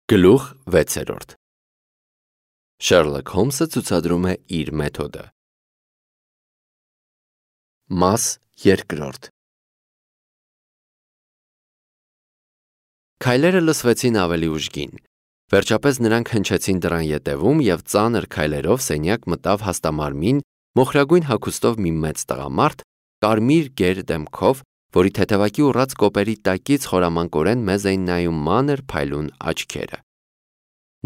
Գլուխ 6 Շերլոք Հոլմսը ցուցադրում է իր մեթոդը։ Մաս 2 Քայլերը լսվեցին ավելի ուժգին։ Վերջապես նրանք հնչեցին դռան ետևում և ծանր քայլերով սենյակ մտավ հաստամարմին, մոխրագույն հագուստով մի մեծ տղամարդ, կարմիր գեր դեմքով, որի թեթևակի ուռած կոպերի տակից խորամանկորեն մեզ էին նայում մանր փայլուն աչքերը։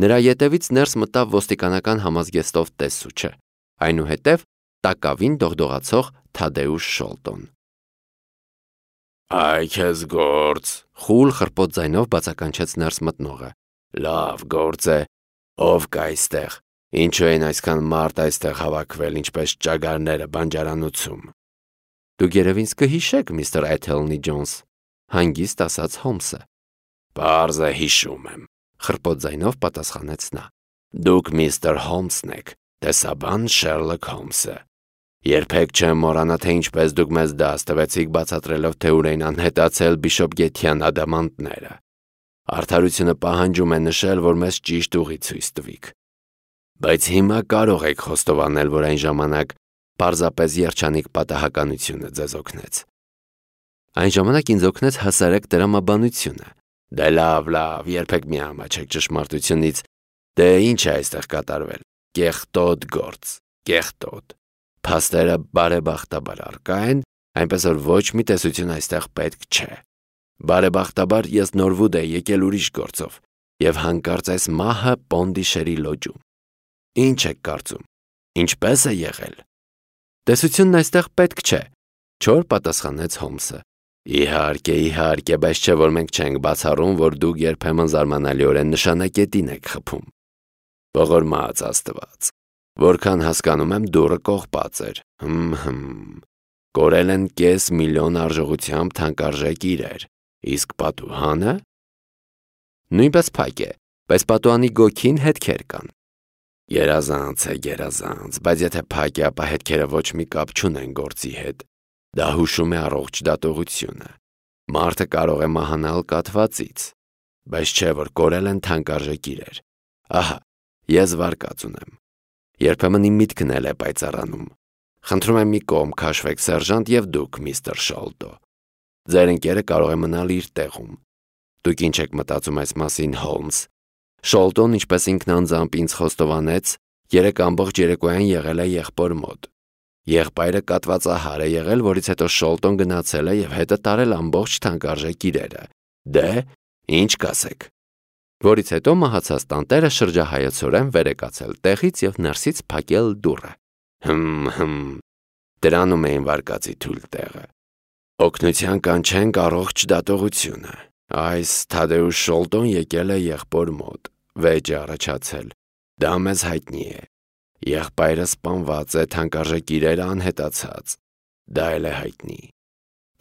Նրա ետևից ներս մտավ ոստիկանական համազգեստով տեսուչը, այնուհետև տակավին դողդողացող Թադեուշ Շոլտոն։ «Այ քեզ գործ», խուլ խռպոտ ձայնով բացականչեց ներս մտնողը։ «Լավ գործ է, ով կա այստեղ, ինչու են այսքան մարդ այստեղ հավաքվել, ինչպես ճագարները բանջարանոցում»։ «Դուք երևի ինձ կհիշեք, միստր Էթելնի Ջոնս», հանգիստ ասաց Հոլմսը։ «Պարզ է, հիշում եմ», խռպոտ ձայնով պատասխանեց նա։ «Դուք միստր Հոլմսն եք, տեսաբան Շերլոք Հոլմսը։ Երբեք չեմ մոռանա, թե ինչպես դուք մեզ դաս տվեցիք բացատրելով, թե ուր էին անհետացել Բիշոպգեթյան ադամանդները։ Արդարությունը պահանջում է նշել, որ մեզ ճիշտ ուղի ցույց տվիք։ Բայց հիմա կարող եք խոստովանել, որ այն ժամանակ պարզապես երջանիկ պատահականությունը ձեզ օգնեց»։ «Այն ժամանակ ինձ օգնեց հասարակ տրամաբանությունը»։ «Դե լավ, երբեք մի ամաչեք ճշմարտությունից։ Դե ինչ է այստեղ կատարվել։ Կեղտոտ գործ, կեղտոտ։ Փաստերը բարեբախտաբար առկա են, այնպես որ ոչ մի տեսություն այստեղ պետք չէ։ Բարեբախտաբար ես Նորվուդ էի եկել ուրիշ գործով և հանկարծ այս մահը Պոնդիշերի լոջում։ Ինչ եք կարծում, ինչպես է եղել»։ «Տեսությունն այստեղ պետք չէ», չոր պատասխանեց Հոլմսը։ Իհարկե, բայց չէ որ մենք չենք բացառում, որ դուք երբեմն զարմանալիորեն նշանակետին եք խփում։ Ողորմած Աստված, որքան հասկանում եմ, դուռը կողպած էր։ Կորել են $500,000 արժողությամբ թանկարժեք իրեր, իսկ պատուհանը նույնպես փակ է, բայց պատուհանի գոգին հետքեր կան։ Գերազանց է, բայց եթե փակ է, ապա հետքերը ոչ մի կապ չունեն գործի հետ։ Դա հուշում է առողջ դատողությունը։ Մարդը կարող է մահանալ կաթվածից, բայց չէ որ կորել են թանկարժեք իրեր։ Ահա, ես վարկած ունեմ։ Երբեմն իմ միտքն էլ է պայծառանում։ Խնդրում եմ մի կողմ քաշվեք, սերժանտ, և դուք, միստր Շոլտո։ Ձեր ընկերը կարող է մնալ իր տեղում։ Դուք ինչ եք մտածում այս մասին, Հոլմս։ Շոլտոն, ինչպես ինքն անձամբ ինձ խոստովանեց, 3 ամբողջ երեկոյան եղել է եղբոր մոտ։ Եղբայրը կատվածահար է եղել, որից հետո Շոլտոն գնացել է և հետը տարել ամբողջ թանկարժեք իրերը։ Դե, ինչ կասեք։ Որից հետո մահացած տանտերը շրջահայացորեն վեր է կացել տեղից և ներսից փակել դուռը։ Դրանում էին վարկածի թույլ տեղը։ Օգնության կանչենք առողջ դատողությունը։ Այս Թադեուշ Շոլտոն եկել է եղբոր մոտ, վեճ է առաջացել։ Դա մեզ հայտնի է։ Եղբայրը սպանված է, թանկարժեք իրերը անհետացած։ Դա էլ է հայտնի։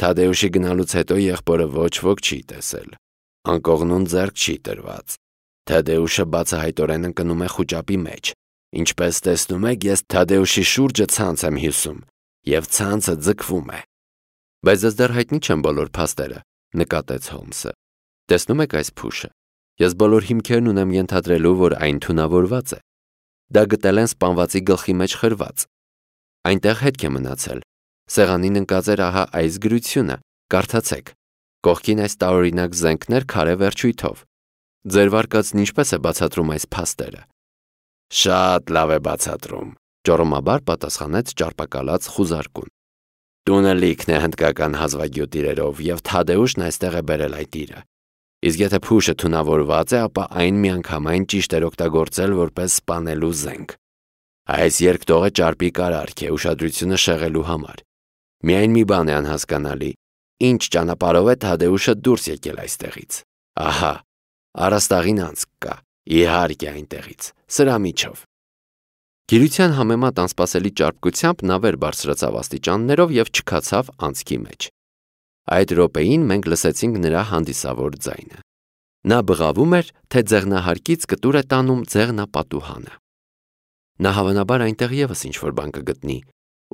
Թադեուշի գնալուց հետո եղբորը ոչ ոք չի տեսել։ Անկողնուն ձեռք չի տրված։ Թադեուշը բացահայտորեն ընկնում է խուճապի մեջ։ Ինչպես տեսնում եք, ես Թադեուշի շուրջը ցանց եմ հյուսում, և ցանցը ձգվում է։ Բայց ձեզ դեռ հայտնի չեն բոլոր փաստերը, նկատեց Հոլմսը։ Տեսնում եք այս փուշը։ Ես բոլոր հիմքերն ունեմ ենթադրելու, որ այն թունավորված է։ Դա գտել են սպանվածի գլխի մեջ խրված։ Այնտեղ հետք է մնացել։ Սեղանին ընկած էր ահա այս գրությունը, կարդացեք։ Կողքին այս տարօրինակ զենքներ քարե վերջույթով։ Ձեր վարկածն ինչպես է բացատրում այս փաստերը։ Շատ լավ է բացատրում, ճոռոմաբար պատասխանեց ճարպակալած խուզարկուն։ Տունը լիքն է հնդկական հազվագյուտ իրերով, և Թադեուշն այստեղ է բերել այդ իրը։ Իսկ եթե փուշը թունավորված է, ապա այն միանգամայն ճիշտ էր օգտագործել որպես սպանելու զենք։ Այս երկտողը ճարպիկ արարք է ուշադրությունը շեղելու համար։ Միայն մի բան է անհասկանալի։ Ինչ ճանապարհով է Թադեուշը դուրս եկել այստեղից։ Ահա, առաստաղին անցք կա, իհարկե այնտեղից, սրա միջով։ Գիրության համեմատ անսպասելի ճարպկությամբ նա վեր բարձրացավ աստիճաններով և չքացավ անցքի մեջ։ Այդ րոպեին մենք լսեցինք նրա հանդիսավոր ձայնը։ Նա բղավում էր, թե ձեղնահարկից կտուր է տանում ձեղնապատուհանը։ Նա հավանաբար այնտեղ ևս ինչ-որ բան կգտնի,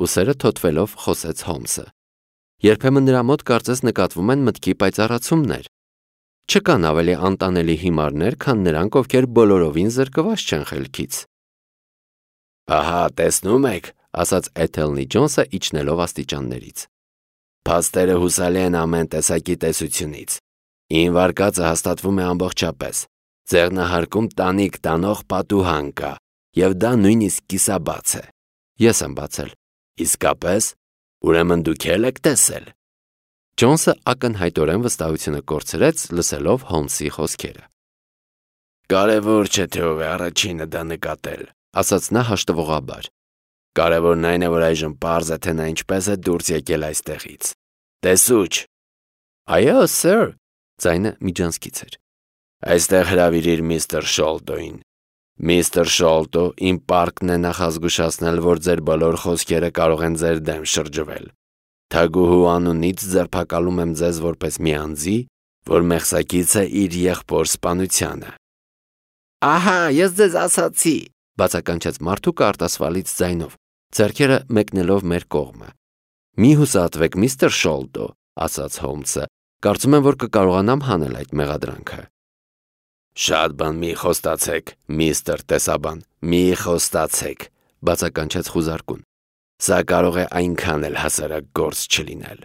ուսերը թոթվելով խոսեց Հոլմսը։ Երբեմն նրա մոտ կարծես նկատվում են մտքի պայծառացումներ։ Չկան ավելի անտանելի հիմարներ, քան նրանք, ովքեր բոլորովին զրկված չեն խելքից։ Ահա, տեսնում եք, ասաց Էթելնի Ջոնսը իջնելով աստիճաններից։ Փաստերը հուսալի են ամեն տեսակի տեսությունից։ Ին վարկածը հաստատվում է ամբողջապես։ Ձեռնահարկում տանիք տանող պատուհան կա, եւ դա նույնիսկ կիսաբաց է։ Ես եմ բացել։ Իսկապես, ուրեմն դուք եք տեսել։ Ջոնսը ակնհայտորեն վստահությունը կորցրեց, լսելով Հոլմսի խոսքերը։ Կարևոր չէ, թե ով է առաջինը դա նկատել, ասաց նա հաշտվողաբար։ Կարևորն այն է, որ այժմ պարզ է, թե նա ինչպես է դուրս եկել այստեղից։ Տեսուչ։ Այո, սեր, ձայնը միջանցքից էր։ Այստեղ հրավիրիր միստր Շոլտոին։ Միստր Շոլտո, իմ պարկն է նախազգուշացնել, որ ձեր բոլոր խոսքերը կարող են ձեր դեմ շրջվել։ Թագուհու անունից ձերբակալում եմ ձեզ որպես մի անձի, որ մեղսակից է իր եղբոր սպանությանը։ Ահա, ես ձեզ ասացի, բացականչեց մարդուկը արտասվալից ձայնով, ձեռքերը մեկնելով մեր կողմը։ Մի հուսահատվեք, միստր Շոլտո, ասաց Հոլմսը, կարծում եմ, որ կկարողանամ հանել այդ մեղադրանքը։ Շատ բան մի խոստացեք, միստր տեսաբան, մի խոստացեք, բացականչեց խուզարկուն։ Սա կարող է այնքան էլ հասարակ գործ չլինել։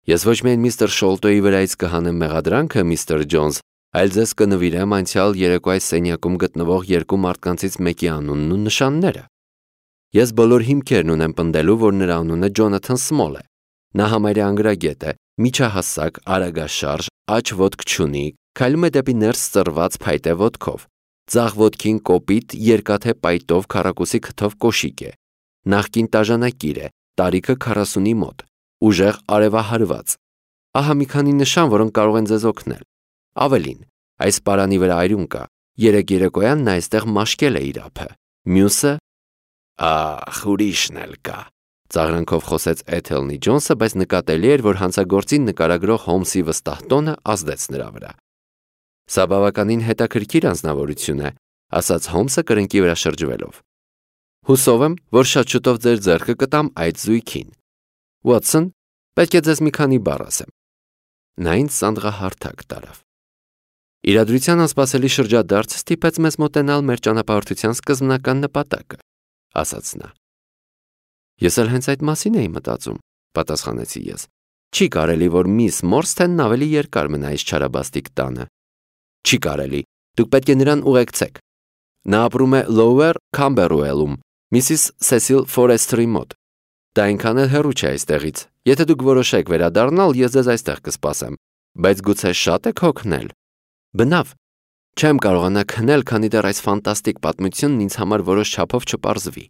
Ես ոչ միայն միստր Շոլտոյի վրայից կհանեմ մեղադրանքը, միստր Ջոնս, այլ ձեզ կնվիրեմ անցյալ երեկո այս սենյակում գտնվող երկու մարդկանցից մեկի անունն ու նշանները։ Ես բոլոր հիմքերն ունեմ պնդելու, որ նրա անունը Ջոնաթան Սմոլ է։ Նա համարյա անգրագետ է, միջահասակ, արագաշարժ, աջ ոտք չունի, քայլում է դեպի ներս ծռված փայտե ոտքով։ Ձախ ոտքին կոպիտ, երկաթե պայտով քառակուսի քթով կոշիկ է։ Նախկին տաժանակիր է, տարիքը 40-ի մոտ, ուժեղ արևահարված։ Ահա մի քանի նշան, որոնք կարող են ձեզ օգնել։ Ավելին, այս պարանի վրա այրուն կա։ Երեկ երեկոյան նա այստեղ մաշկել է իր ափը։ Մյուսը… Ահ, ուրիշն էլ կա, ծաղրանքով խոսեց Էթելնի Ջոնսը, բայց նկատելի էր, որ հանցագործին նկարագրող Հոլմսի վստահ տոնը ազդեց նրա վրա։ Սա բավականին հետաքրքիր անձնավորություն է, ասաց Հոլմսը կրնկի վրա շրջվելով։ Հուսով եմ, որ շատ շուտով ձեր ձեռքը կտամ այդ զույգին։ Ուոտսոն, պետք է ձեզ մի քանի բառ ասեմ։ Նա ինձ սանդղահարթակ տարավ։ Իրադրության անսպասելի շրջադարձ ստիպեց մեզ մոտենալ մեր ճանապարհորդության սկզբնական նպատակը, ասաց նա։ Ես էլ հենց այդ մասին էի մտածում, պատասխանեցի ես։ Չի կարելի, որ միս Մորսթենն ավելի երկար մնա այս չարաբաստիկ տանը։ Չի կարելի, դուք պետք է նրան ուղեկցեք։ Նա ապրում է Lower Camberwell-ում, Միսիս Սեսիլ Ֆորեսթերի մոտ։ Դա այնքան էլ հեռու չէ այստեղից։ Եթե դուք որոշեք վերադառնալ, ես ձեզ այստեղ կսպասեմ, բայց գուցե շատ եք հոգնել։ Բնավ, չեմ կարողանա քնել, քանի դեռ այս ֆանտաստիկ պատմությունն ինձ համար որոշ չափով չպարզվի։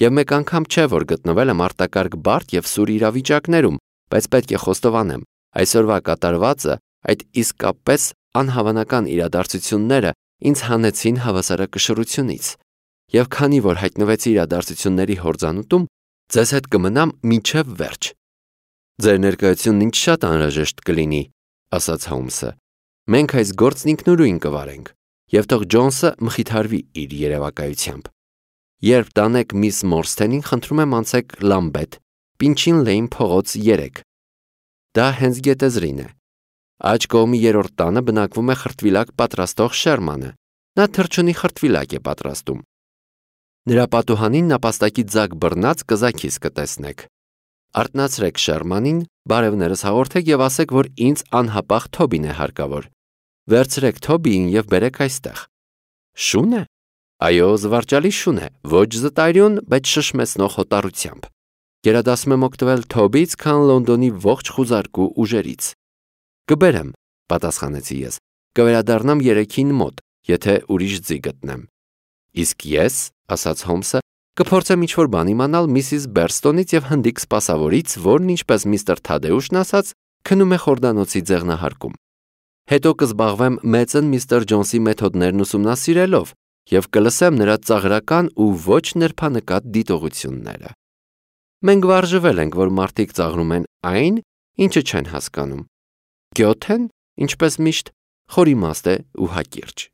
Եվ մեկ անգամ չէ, որ գտնվել եմ արտակարգ բարդ եւ սուր իրավիճակներում, բայց պետք է խոստովանեմ, այսօրվա կատարվածը, այդ իսկապես անհավանական իրադարձությունները ինձ հանեցին հավասարակշռությունից։ Եվ քանի որ հայտնվեցի իրադարձությունների հորձանուտում, ձեզ հետ կմնամ մինչև վերջ։ Ձեր ներկայությունն ինձ շատ անհրաժեշտ կլինի, ասաց Հոլմսը։ Մենք այս գործն ինքնուրույն կվարենք, եւ թող Ջոնսը մխիթարվի իր երևակայությամբ։ Երբ տանեք միս Մորսթենին, խնդրում եմ անցեք Լամբեթ, Պինչին Լեյն փողոց 3։ Դա հենց գետեզրին է։ Աջ կողմի երրորդ տանը բնակվում է խրտվիլակ պատրաստող Շերմանը։ Նա թռչունի խրտվիլակ է պատրաստում։ Նրա պատուհանին նապաստակի ձագ բռնած կզաքիս կտեսնեք։ Արթնացրեք Շերմանին, բարևներս հաղորդեք եւ ասեք, որ ինձ անհապաղ Թոբին է հարկավոր։ Վերցրեք Թոբիին եւ բերեք այստեղ։ Շուն է։ Այո, զվարճալի շուն է, ոչ զտայրյուն, բայց շշմեցնող հոտառությամբ։ Գերադասում եմ օգտվել Թոբից, քան Լոնդոնի ողջ խուզարկու ուժերից։ Կբերեմ, պատասխանեցի ես։ Կվերադառնամ 3-ին մոտ, եթե ուրիշ ձի գտնեմ։ Իսկ ես, ասաց Հոլմսը, կփորձեմ ինչ-որ բան իմանալ Միսիս Բերստոնից եւ հնդիկ սպասավորից, որն ինչպես միստր Թադեուշն ասաց, քնում է խորդանոցի ձեղնահարկում։ Հետո կզբաղվեմ մեծն միստր Ջոնսի մեթոդներն ուսումնասիրելով եւ կլսեմ նրա ծաղրական ու ոչ նրբանկատ դիտողությունները։ Մենք վարժվել ենք, որ մարդիկ ծաղրում են այն, ինչը չեն հասկանում։ Գյոթեն, ինչպես միշտ, խորիմաստ է ու հակիրճ։